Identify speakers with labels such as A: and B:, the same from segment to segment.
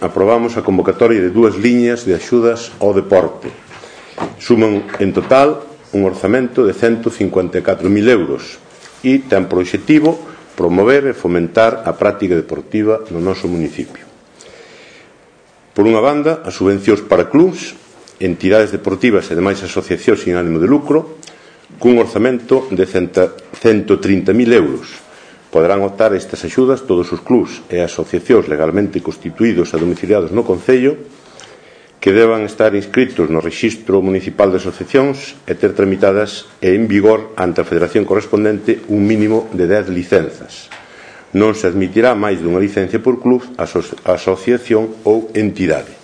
A: aprobamos a convocatoria de 2 liñas de axudas ao deporte. Suman en total un orzamento de 154.000 euros e ten por obxectivo promover e fomentar a práctica deportiva no noso municipio. Por unha banda, as subvencións para clubs, entidades deportivas e demais asociacións sin ánimo de lucro, cun orzamento de 130.000 euros. Poderán optar a estas axudas todos os clubs e asociacións legalmente constituídos e domiciliados no Concello que deban estar inscritos no Rexistro Municipal de Asociacións e ter tramitadas e en vigor ante a Federación correspondente un mínimo de 10 licenzas. Non se admitirá máis dunha licencia por club, asociación ou entidade.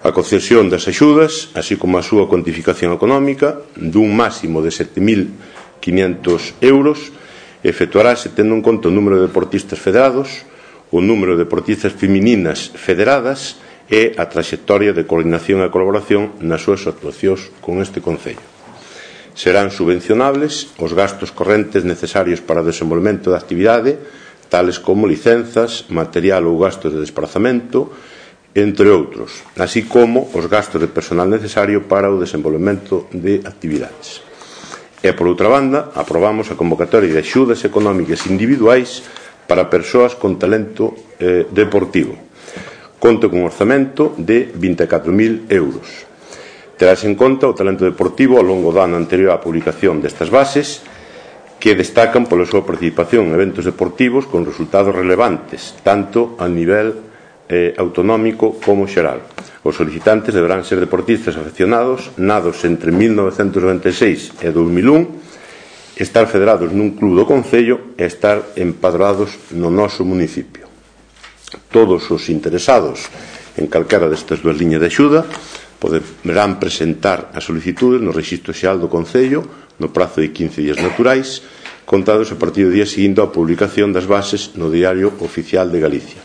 A: A concesión das axudas, así como a súa cuantificación económica, dun máximo de 7.500 euros, efectuarase tendo en conta o número de deportistas federados, o número de deportistas femininas federadas e a traxectoria de coordinación e colaboración nas súas actuacións con este Concello. Serán subvencionables os gastos correntes necesarios para o desenvolvemento da actividade, tales como licenzas, material ou gastos de desplazamento, entre outros, así como os gastos de personal necesario para o desenvolvemento de actividades. E, por outra banda, aprobamos a convocatoria de axudas económicas individuais para persoas con talento deportivo. Conta con un orzamento de 24.000 euros. Terás en conta o talento deportivo ao longo do ano anterior á publicación destas bases, que destacan pola súa participación en eventos deportivos con resultados relevantes, tanto a nivel autonómico como xeral. Os solicitantes deberán ser deportistas afeccionados nados entre 1996 e 2001, estar federados nun club do Concello e estar empadroados no noso municipio. Todos os interesados en calquera destas 2 liñas de axuda poderán presentar as solicitudes no Rexistro Xeral do Concello no prazo de 15 días naturais, contados a partir do día seguinte á publicación das bases no Diario Oficial de Galicia.